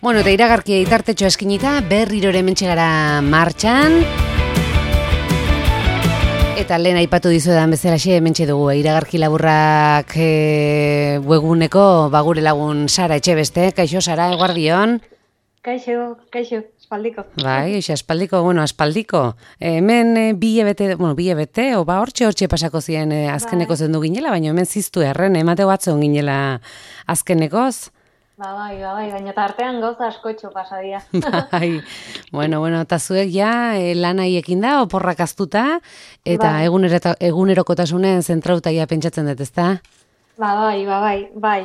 Bueno, eta iragarkia itartetxo eskinita, berriro hementxe gara martxan. Eta lehen aipatu dizuedan bezalaxe hementxe dugu, iragarki laburrak webguneko bagure lagun Sara Etxebeste. Kaixo, Sara, eguardion? Kaixo, aspaldiko. Bai, aspaldiko, aspaldiko. Hemen bi hilabete, hortxe pasako ziren azkeneko zendu ginela, baina hemen ziztu erren, emateo batzon ginela azkenekoz. Bai, baina tartean gauza askotxo pasadia. Bai, bueno, eta zuek ja lan haiekin da, oporrak aztuta, eta egunerokotasunen zentrauta ja pentsatzen dut, ezta? Bai,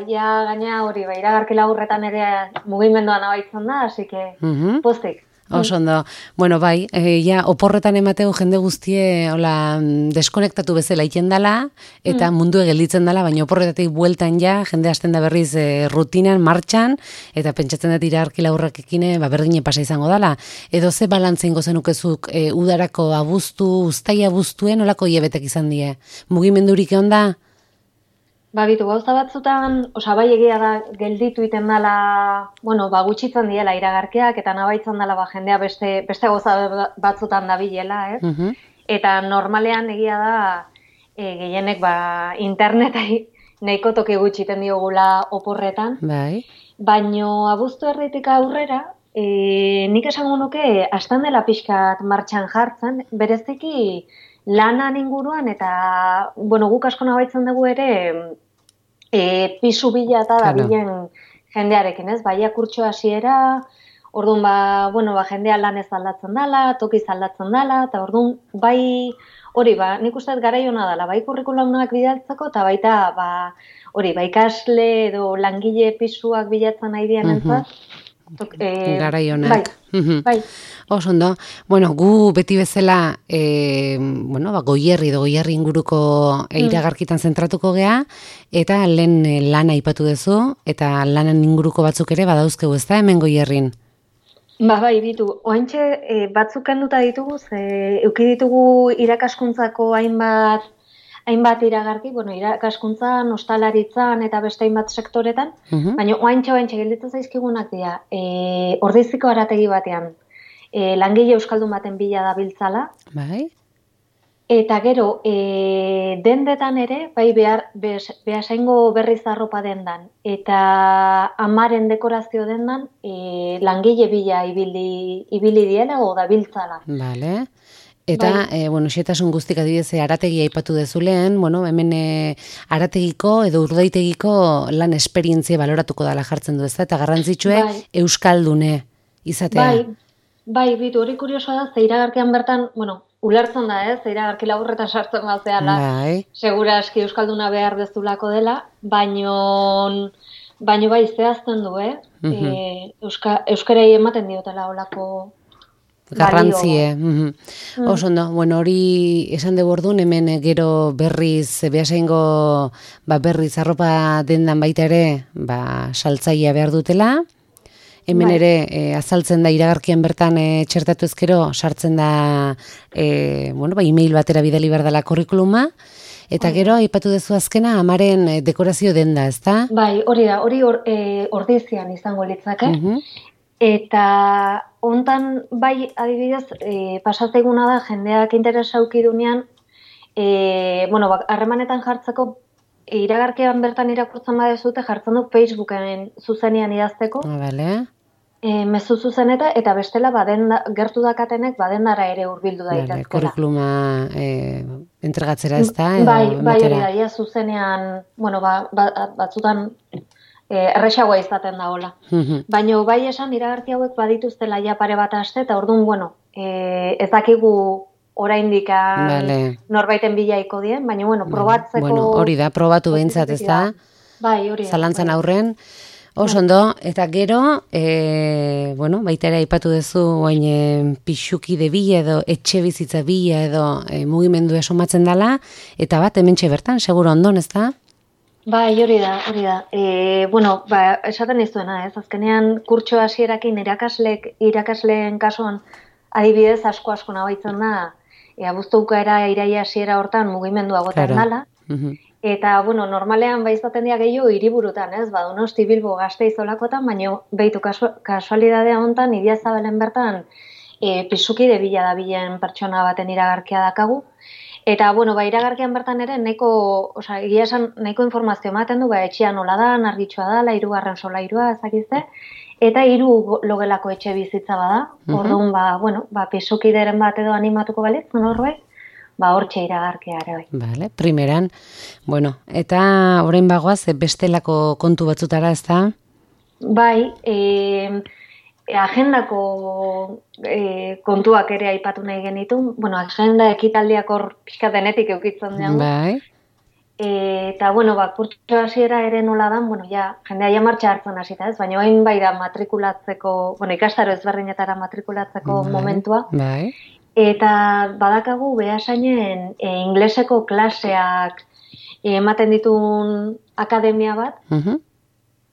ja gaina hori, iragarki laburretan ere mugimenduan abaitzen da, así que postik. Oso ondo. Bueno, bai, ja oporretan emateu jende guztie hola deskonektatu bezala iten dala, eta mundu gelditzen dala, baina oporretatik bueltan ja, jende hasten da berriz rutinan, martxan, eta pentsatzen dut iragarki laburrakekine berdine pasa izango dala. Edo ze balantzen gozenukezuk udarako abuztu, uztaia abuztuen, olako hilebetek izan die. Mugimendurik egon da? Bitu, gauza batzutan, bai egia da gelditu iten dela, gutxitzen diela iragarkiak, eta nabaitzen dela jendea beste gauza batzutan dabilela, ez? Eta normalean egia da gehienek internetai nahiko toki gutxiten diogula oporretan. Bai. Baino abuztu erditik aurrera, nik esango nuke hastan dela pixkat martxan jartzen, bereziki lanan inguruan, eta, guk asko nabaitzen dugu ere, pisu bila eta dabilen jendearekin, ez? Baia kurtso hasiera, orduan, jendea lan ez aldatzen dela, tokiz aldatzen dela, eta orduan, hori, nik uste garai hona dela, bai kurrikulumak bidaltzeko, eta baita, ikasle edo langile pisuak bilatzen nahi dian entzat, garai honak. Bai. Oso ondo. Gu beti bezala goierri inguruko iragarkitan zentratuko gea, eta lehen lana aipatu duzu, eta lanan inguruko batzuk ere badauzkegu, ez da, hemen goierrin? Bai, bitu. Oantxe batzuk kenduta ditugu, euki ditugu irakaskuntzako hainbat iragarki, irakaskuntzan, ostalaritzan eta beste hainbat sektoretan, baina oantxe gelditzen zaizkigunak dira, Ordeiziko harategi batean, langile euskaldun baten bila dabiltzala, bai. Eta gero, dendetan ere, behasaingo berriz arropa dendan, eta amaren dekorazio dendan, langile bila ibili diela o dabiltzala. Vale. Eta, xetasun guztik adibidez, harategia aipatu dezuleen, hemen harategiko edo urdaitegiko lan esperientzia baloratuko dela jartzen du, ez da? Eta garrantzitsue euskaldune izatea. Bai, bitu, hori kuriosoa da, ze iragarkian bertan, ulertzen da, ez? Iragarki laburretan sartzen bazeala, segura aski euskalduna behar dezulako dela, baino zehazten du, euskarei ematen diotela olako garrantzie. Oso ondo, hori esan dugu orduan, hemen gero berriz, behasaingo berriz arropa dendan baita ere, saltzaia behar dutela. Hemen ere, azaltzen da iragarkian bertan txertatu ezkero, sartzen da, email batera bidali behar dela kurrikuluma, eta gero, aipatu dezu azkena, amaren dekorazio denda, ez da? Bai, hori Ordeizian izango litzake. Eta hontan, adibidez, pasatzeiguna da, jendeak interesa aukidunean, harremanetan jartzeko, iragarkian bertan irakurtzen badezute, jartzen du Facebooken zuzenean idazteko. Bale. Mezu zuzeneta, eta bestela gertu dakatenek badendara ere hurbildu daitezkela. Kurrikuluma entregatzera ez da? Bai, hori da, zuzenean, batzutan erresagoa izaten da hola. Baina esan iragarki hauek badituztela ja pare bat aste, eta orduan, ez dakigu oraindik norbaiten bilaiko dien, baina probatzeko... Hori da, probatu behintzat, ez da? Bai, hori da. Zalantzan aurren. Oso ondo, eta gero, baita ere aipatu duzu, pixuki de bila edo, etxe bizitza bila edo mugimendu esomatzen dela, eta bat hementxe bertan, seguro ondon, ez da? Bai, hori da. Esaten izuena, ez? Azkenean kurtso hasierakin irakasleen kasuan adibidez asko nabaitzen da, abuztuka era iraia hasiera hortan mugimendua goten dela, Eta, bueno, normalean izaten dira gehiago hiriburutan, ez? Ba, Donosti, Bilbo, Gasteiz olakotan, baina behitu kasualidadea hontan, Idiazabalen bertan, pisukide bila da bilen pertsona baten iragarkia dakagu. Eta, bueno, iragarkian bertan ere, egia esan, nahiko informazio ematen du, etxea nola da, argitsua da, 3. solairua, ezakizte, eta 3 logelako etxe bizitza bada. Orduan, pisukideren bat edo animatuko balitz, norbait, hortxe iragarkia ere bai. Vale, primeran. Bueno, eta orain bagoaz, bestelako kontu batzutara, ez da? Bai, agendako kontuak ere aipatu nahi genitu. Bueno, agenda ekitaldiak hor pixka denetik eukitzen dugu. Bai. Eta, kurtso hasiera ere nola dan, jendea ja martxa hartzen hasita, ez? Baina hain bai da matrikulatzeko, ikastaro ezberdinetara matrikulatzeko momentua. Bai. Eta badakagu behasainen ingleseko klaseak ematen ditun akademia bat.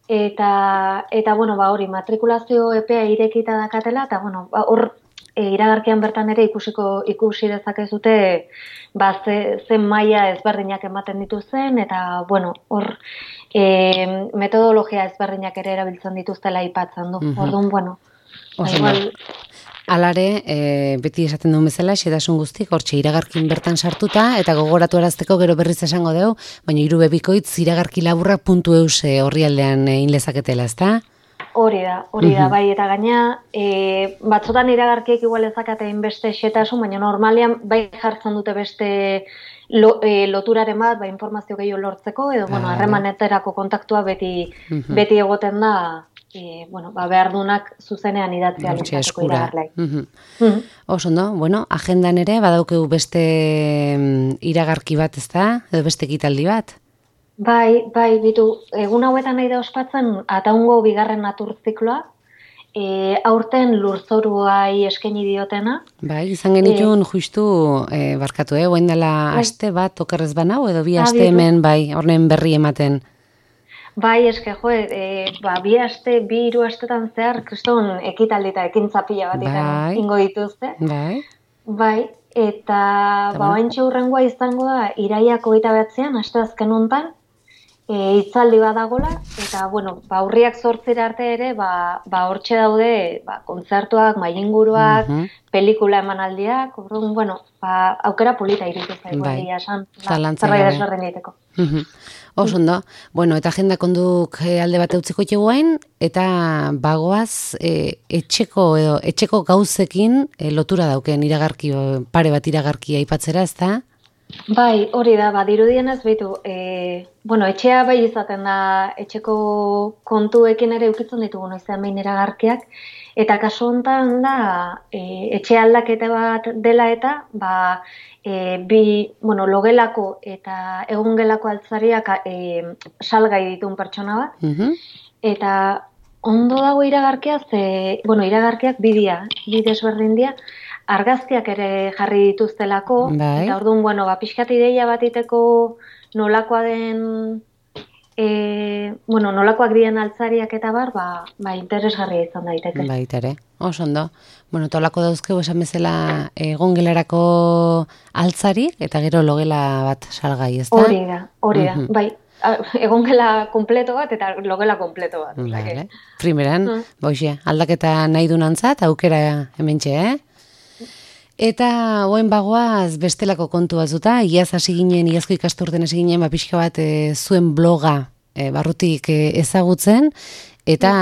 Eta hori matrikulazio epea irekita dakatela, eta hor iragarkian bertan ere ikusi dezakezute zen maila ezberdinak ematen dituzen, eta hor metodologia ezberdinak ere erabiltzen dituztela aipatzen du. Orduan, Alare, beti esaten duen bezala, xedasun guztik, hortxe iragarkin bertan sartuta, eta gogoratu arazteko gero berriz esango dugu, baina 3 bikoitz iragarki laburrak.eus orrialdean inlezaketela, ezta? Hori da, bai, eta gaina, batzotan iragarkiek igual ezakatein beste xetasun, baina normalian bai jartzen dute beste loturaren bat, informazio gehiago lortzeko, edo, harremaneterako kontaktua beti egoten da, behar dunak zuzenean idatzea lezateko iragarlai. Oso, agendan ere, badaukegu beste iragarki bat, ez da? Edo beste ekitaldi bat? Bai, bitu, egun hauetan nahi da ospatzen, Ataungo 2. naturzikloa, aurten lurzoruai eskaini diotena. Bai, izan genitun justu, barkatu, oain dela aste bat, okerrez banau, edo 2 aste hemen, bai, horren berri ematen. Bai, bi aste, 3 astetan zehar, kriston ekitaldi eta ekintza pila bat ingo dituzte. Bai, eta oaintxe hurrengoa izango da, iraiak 29an, aste azken hontan, hitzaldi badagola, eta, urriak 8 arte ere, hortxe daude, kontzertuak, mailinguruak, pelikula emanaldiak, aukera polita iritu zaigu, esan, zerbait desberdin egiteko. Oso ondo, eta agenda konduk alde bat eutziko txeguain, eta bagoaz etxeko gauzekin lotura dauken iragarki, pare bat iragarkia aipatzera, ez da? Bai, hori da, dirudienez behitu, etxea bai izaten da, etxeko kontuekin ere eukitzen ditugu noizean behin iragarkiak, eta kasu honetan da, etxe aldaketa bat dela eta, logelako eta egongelako altzariak salgai ditun pertsona bat, eta ondo dago iragarkia, iragarkiak bi desberdin dira, argazkiak ere jarri dituztelako, eta orduan, pixkat ideia bat iteko nolakoa den, nolakoak diren altzariak eta bar, interesgarria izan daiteke. Baita ere, oso ondo. Tolako dauzkegu esan bezala egongelarako altzarik, eta gero logela bat salgai, ez da? Hori da, bai. Egongela kompleto bat eta logela kompleto bat. Primeran, aldaketa nahi du nantzat, aukera hementxe, Eta oen bagoaz bestelako kontu batzuta, iazko ikasturten hasi ginen, pixka bat zuen bloga barrutik ezagutzen, eta,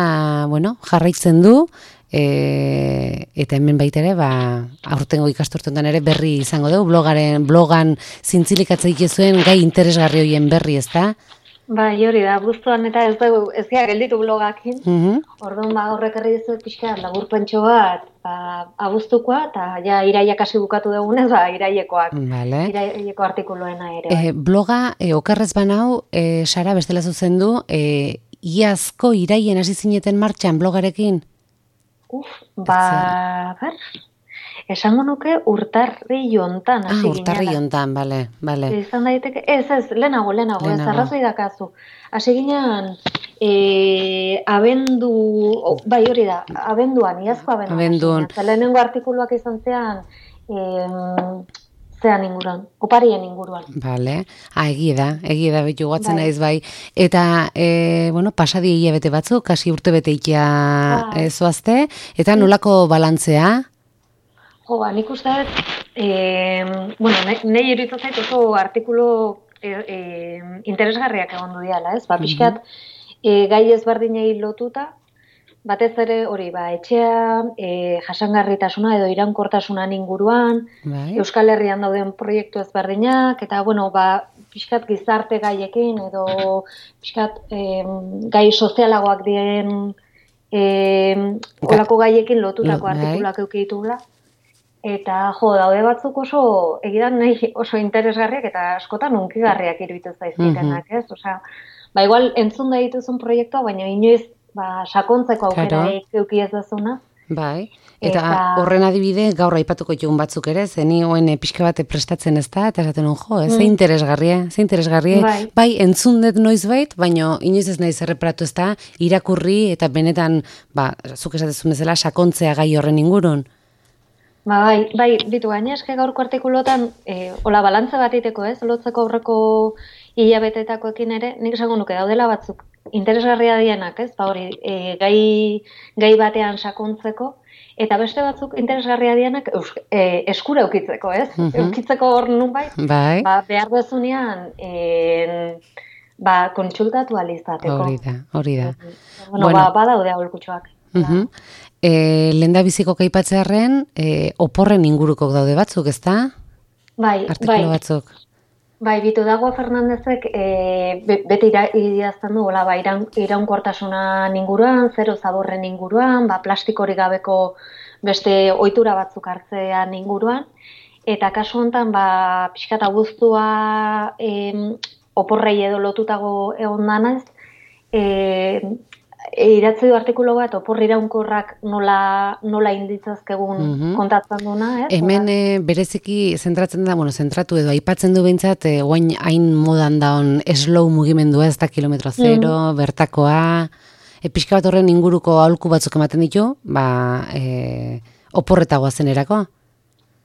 jarraitzen du, eta hemen baitere, aurtengo ikasturtetan ere berri izango dugu, blogan zintzilikatzeik zuen gai interesgarri hoien berri, ez da? Bai, hori da, buztuan eta ez gara gelditu blogakin. Orduan horrek herri dizuet pixka laburpentxo bat, abuztukoa, eta iraiak hasi bukatu dugunez, irailekoak, iraieko artikuluena ere. Bloga, okerrez banau, Sara, bestela zuzendu, iazko iraien hasi zineten martxan blogarekin? Esango nuke urtarri jontan. Urtarri jontan, bale. Izan daiteke, lehenago, ez arrazoi dakazu. Hasi ginean, hori da, abenduan, iazko abenduan. Lehenengo artikuluak izan zean, zean inguruan, oparien inguruan. Bale, egia da, betu guatzen naiz bai. Eta, bueno, pasadi hilabete batzuk, kasi urte bete ikia zoazte, eta nolako balantzea? Jo, nik uste dut, bueno, nahi iruditzen zait oso artikulu interesgarriak egon du diala, ez? Ba, pixkat, gai ezberdinei lotuta, batez ere hori, etxea, jasangarritasuna edo iraunkortasunan inguruan, Euskal Herrian dauden proiektu ezberdinak, eta, bueno, pixkat gizarte gaiekin, edo pixkat gai sozialagoak diren olako gaiekin lotutako artikulak eukitugula. Eta, daude batzuk egidan nahi oso interesgarriak eta askotan unkigarriak iruditzen zaizkitenak, ez? Osea, igual entzun da dituzun proiektua, baina inoiz sakontzeko aukera euki ez dezuna. Bai, eta horren adibide gaur aipatuko ditugun batzuk ere, zeni hoen pixka bate prestatzen ez da, eta esaten ze interesgarria, bai, entzun dut noiz bait, baina inoiz ez nahi zerreparatu ez da, irakurri eta benetan, zuk esatezun bezala, sakontzea gai horren ingurun. Bai, bitu gaina eske gaurko artikulotan, hola balantza bat iteko ez, lotzeko aurreko hilabetetakoekin ere, nik esango nuke daudela batzuk interesgarria dienak, ez, hori, gai batean sakontzeko, eta beste batzuk interesgarria dienak eskura eukitzeko, ez? Eukitzeko hor nunbait, behar dezunean, kontsultatu alizateko. Hori da. Bueno, badaude aholkutxoak. Lehendabiziko kaipatzearren, oporren inguruko daude batzuk, ezta? Bai. Artikulu batzuk. Bai, Bitu Dagoa Fernandezek beti idazten du, iraunkortasunan inguruan, zero zaborren inguruan, plastikorik gabeko beste ohitura batzuk hartzean inguruan, eta kasu honetan, pixkat abuztua oporrei edo lotutago egon danaz, idatzi du artikulu bat, oporri iraunkorrak nola inditzazkegun kontatzen duna, ez? Hemen bereziki zentratzen da, zentratu edo aipatzen du behintzat, guain hain modan daun slow mugimendua, ez da kilometro zero, bertakoa, pixka bat horren inguruko aholku batzuk ematen ditu, oporretagoa zenerako?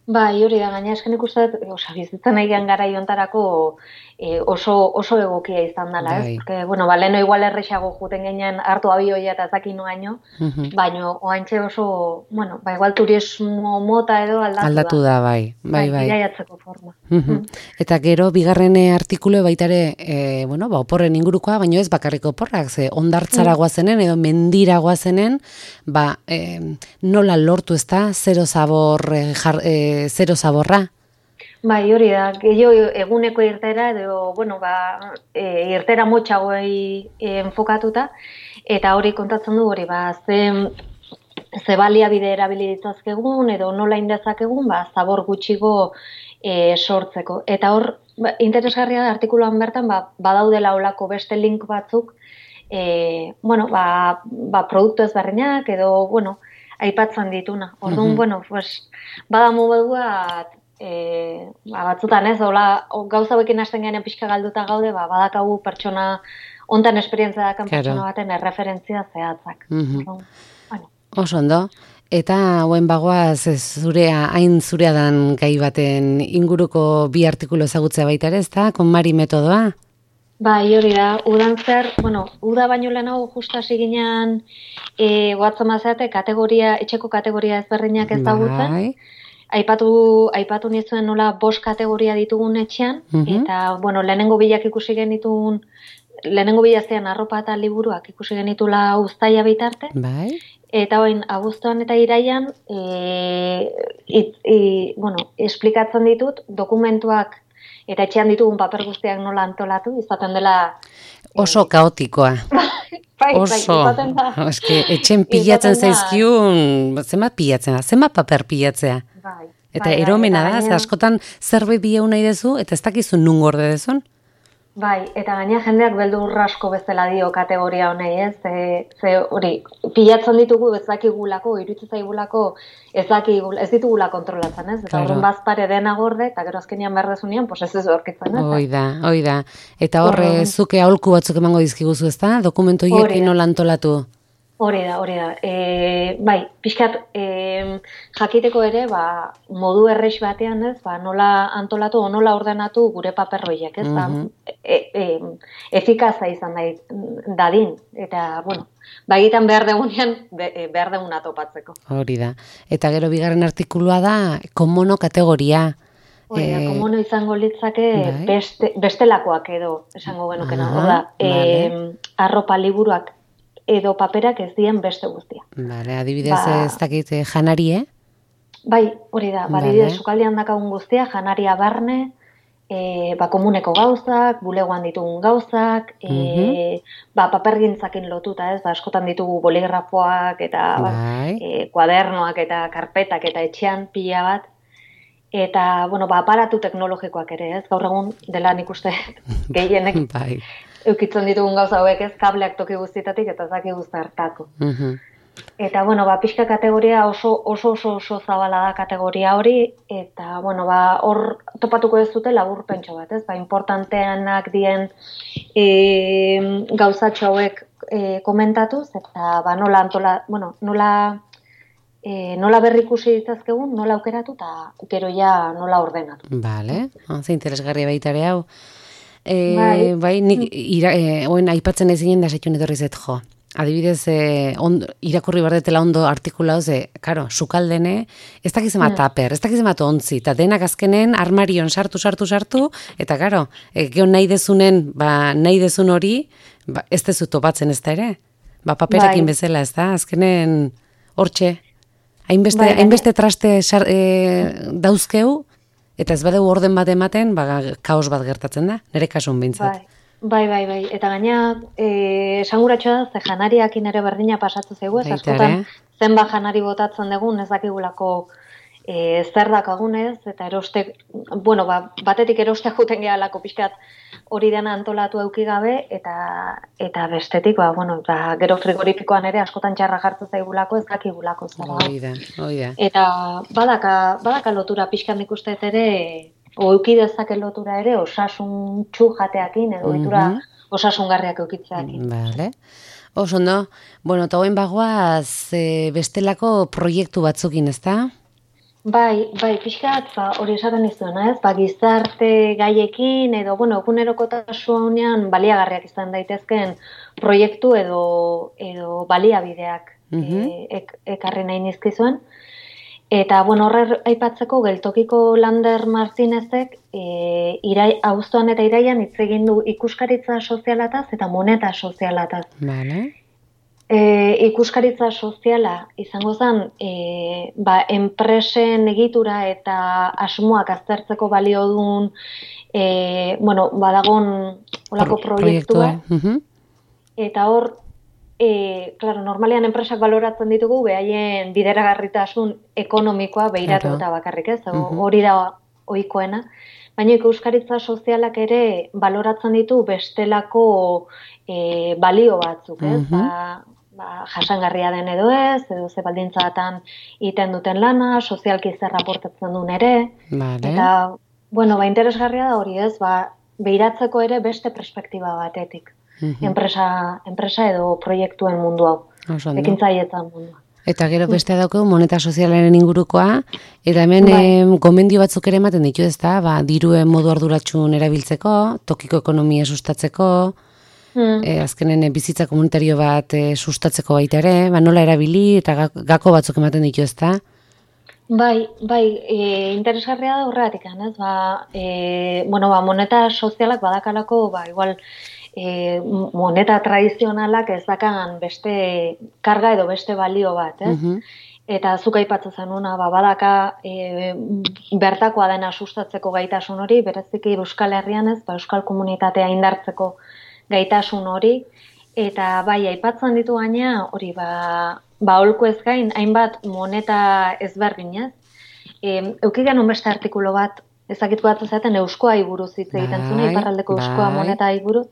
Bai, hori da, gaina esken ikustet, bizitzen egian gara iontarako oso egokia izan dela, ez? Porque, leheno igual errexago juten ginen hartu abioia eta zakinu gaino, baina oantxe oso, igual turismo mota edo aldatu da, bai. Iraiatzeko forma. Eta gero, bigarren artikulu baitare, oporren ingurukoa, baina ez bakarriko oporrak, ze ondartzara guazenen edo mendira guazenen, nola lortu ez da, zero zaborra? Bai, hori da, gehiago eguneko irtera edo, irtera motxagoei enfokatuta, eta hori kontatzen du hori, ze baliabide erabili ditzazkegun edo nola indezakegun, zabor gutxigo sortzeko. Eta hor, interesgarria da, artikuluan bertan, badaudela olako beste link batzuk, produktu ezberdinak edo, aipatzen dituna. Orduan, bada modu bat, batzutan ez, gauza bekin hasten garen pixka galduta gaude, badakagu pertsona, ontan esperientzia dakan pertsona baten erreferentzia zehatzak. Oso ondo. Eta hauen bagoaz hain zurea dan gai baten inguruko bi artikulu ezagutzea baita ere, ez da? KonMari metodoa? Bai, hori da, udan zer, uda baino lehenago justa hasi ginean guatzen mazeate etxeko kategoria ezberdinak ezagutzen. Aipatu nizuen nola 5 kategoria ditugun etxean, eta, lehenengo bilak ikusi genituen, lehenengo bilazean arropa eta liburuak ikusi genitula uztaia bitarte, eta hoin, abuztuan eta iraian, esplikatzen ditut, dokumentuak eta etxean ditugun paper guztiak nola antolatu, izaten dela... Oso kaotikoa. Oso. Etxen pilatzen zaizkiun, zenbat paper pilatzea. Eta eromena da, askotan zerbait bieu nahi dezu, eta ez dakizun nun gorde dezun. Bai, eta gaina jendeak beldur asko bezala dio kategoria honei, ez? Ze hori, pilatzen ditugu ez dakigulako, iruditzen zaigulako ez ditugula kontrolatzen, ez? Eta horren bazpare dena gorde, eta gero azkenian behar dezunean, ez ez aurkitzen, ez? Hoi da. Eta horre zuke aholku batzuk emango dizkiguzu, ez da? Dokumentu hiekin nola antolatu? Hori da. Bai, pixkat jakiteko ere, modu errex batean, ez, nola antolatu o nola ordenatu gure paperroiek, ez, efikaza izan dadin, eta, bueno, egiten behar degunean, behar deguna topatzeko. Hori da. Eta gero bigarren artikulua da, komono kategoria. Hori da, komono izango litzake bestelakoak edo, esango genukena, hor da, arropa liburuak, edo paperak ez dien beste guztia. Vale, adibidez ez dakit janarie? Bai, hori da, adibidez sukaldean dakagun guztia, janaria barne, komuneko gauzak, bulegoan ditugun gauzak, papergintzakin lotuta, ez, askotan ditugu boligrafoak eta kuadernoak eta karpetak eta etxean pila bat, eta, aparatu teknologikoak ere, ez, gaur egun dela nik uste gehienek eukitzen ditugun gauza hauek, ez, kableak toki guztietatik eta zaki guztartako. Eta, pixka kategoria oso zabala da kategoria hori, eta, hor topatuko ez dute laburpentxo bat, ez, importanteanak dien gauzatxo hauek komentatuz, eta, nola berrikusi ditzazkegun, nola aukeratu, eta gero ja nola ordenatu. Bale, ze interesgarria baitare hau. Bai, nik oen aipatzen ez ginen da setxun etorri zet jo. Adibidez, irakurri bardetela ondo artikula ze, karo, sukaldene, ez dakizema taper, ez dakizema ontzi, eta denak azkenen armarion sartu, eta karo, geon nahi dezunen, nahi dezun hori, ez dezu topatzen ez da ere. Paperakin bezala, ez da, azkenen hortxe. Hainbeste traste dauzkeu, eta ez badeu orden bat ematen, kaos bat gertatzen da, nire kasun bintzat. Bai. Eta gaina, esanguratxoa da, ze janariakin ere berdina pasatu zaigu, ez askotan zenbat janari botatzen dugun, ez dakigulako zer dakagunez, eta eroste, batetik erostea juten gehalako pixkat hori dena antolatu eukigabe, eta bestetik, gero frigorifikoan ere askotan txarra jartzen zaigulako, ez dakigulako zara. Hoi da. Eta badaka lotura pixkan ikusteet ere, euki dezake lotura ere, osasun jateakin, edo ohitura osasungarriak eukitzeakin. Bale. Ondo, eta hoen bagoaz bestelako proiektu batzukin, ez da? Bai, pixkat, hori esaten izuena, ez? Gizarte gaiekin, edo, egunerokotasunean baliagarriak izan daitezken proiektu edo baliabideak ekarri nahi nizkizuen. Eta, horre aipatzeko geltokiko Lander Martinezek abuztuan eta iraian hitz egin du ikuskaritza sozialataz eta moneta sozialataz. Vale. Ikuskaritza soziala izango zen, enpresen egitura eta asmoak aztertzeko balio duen, badagon olako proiektua. Eta hor, normalean enpresak baloratzen ditugu, behaien bideragarritasun ekonomikoa behiratu eta bakarrik ez, hori da ohikoena. Baina ikuskaritza sozialak ere baloratzen ditu bestelako balio batzuk, ez? Jasangarria den edo ez, edo ze baldintzatan iten duten lana, sozialki zer raportatzen duen ere. Eta, interesgarria da hori ez, behiratzeko ere beste perspektiba batetik. Enpresa edo proiektuen mundu hau, ekintzaietan mundua. Eta gero beste daukeu moneta sozialaren ingurukoa, eta hemen gomendio batzuk ere ematen ditu ez da, diruen modu arduratsun erabiltzeko, tokiko ekonomia sustatzeko, azkenen bizitza komunitario bat sustatzeko baita ere, nola erabili eta gako batzuk ematen ditu ez da? Bai, interesgarria da horregatik, ez? Moneta sozialak badakalako, igual, moneta tradizionalak ez dakan beste karga edo beste balio bat, ez? Eta zuk aipatzen zenuna, badaka bertakoa dena sustatzeko gaitasun hori, bereziki Euskal Herrian ez, Euskal komunitatea indartzeko gaitasun hori, eta aipatzen ditu gaina, hori holko ez gain, hainbat moneta ezberdinez. Euki genuen beste artikulo bat, ezakitko bat zaten euskoa buruz hitz egiten zuen, iparraldeko euskoa moneta buruz.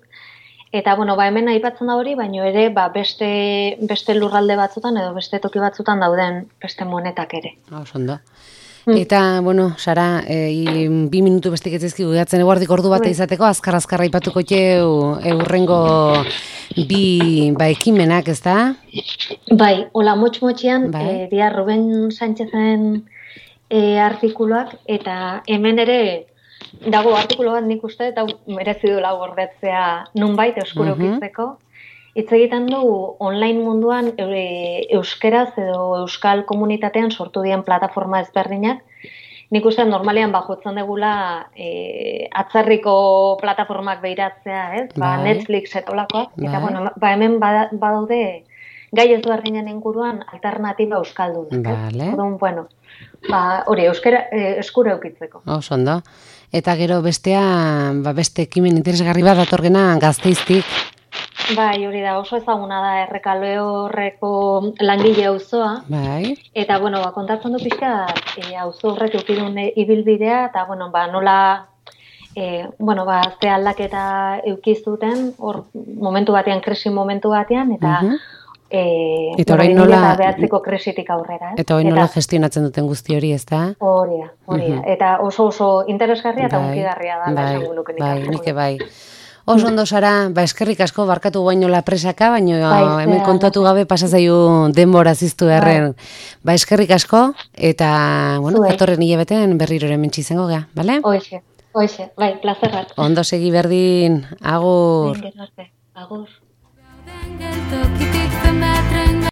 Eta, hemen aipatzen da hori, baina ere, beste lurralde batzutan edo beste toki batzutan dauden beste monetak ere. Ondo. Eta, bueno, Sara, 2 minutu bestik etzaizkigu gehatzen eguardik ordu bat izateko, azkar-azkarra ipatuko eurrengo bi ekimenak, ez da? Bai, hola motx-motxian, dia Ruben Sánchezen artikuluak, eta hemen ere dago artikulu bat nik uste, eta merezi duela gordetzea nunbait eskurokitzeko. Hitz egiten du online munduan euskeraz edo euskal komunitatean sortu dien plataforma ezberdinak. Nik uste normalean jotzen degula atzerriko plataformak behiratzea, ez? Netflix etolakoak. Eta bueno, hemen badaude gai ezberdinen inguruan alternatiba euskaldunak. Orduan, bueno, hori eskura eukitzeko. Oso ondo. Eta gero bestea, beste ekimen interesgarri bat datorgena Gasteiztik. Bai, hori da, oso ezaguna da Errekaleorreko langile auzoa. Bai. Eta, bueno, kontatzen du pixka, auzo horrek eukidun ibilbidea, eta, bueno, nola, ze aldaketa eukizuten, hor momentu batean, krisi momentu batean, eta orain nola behatzeko krisitik aurrera. Eta orain nola gestionatzen duten guzti hori, ez da? Hori da. Eta oso interesgarria eta unkigarria da. Bai. Oso ondo, Sara, eskerrik asko, barkatu guainola presaka, baina hemen kontatu gabe pasazaio denbora ziztu erren. Eskerrik asko, eta, bueno, datorren hilabeten berriro hemen txizengo gea, bale? Hoxe, bai, plazerrat. Ondo segi berdin, agur. Agur.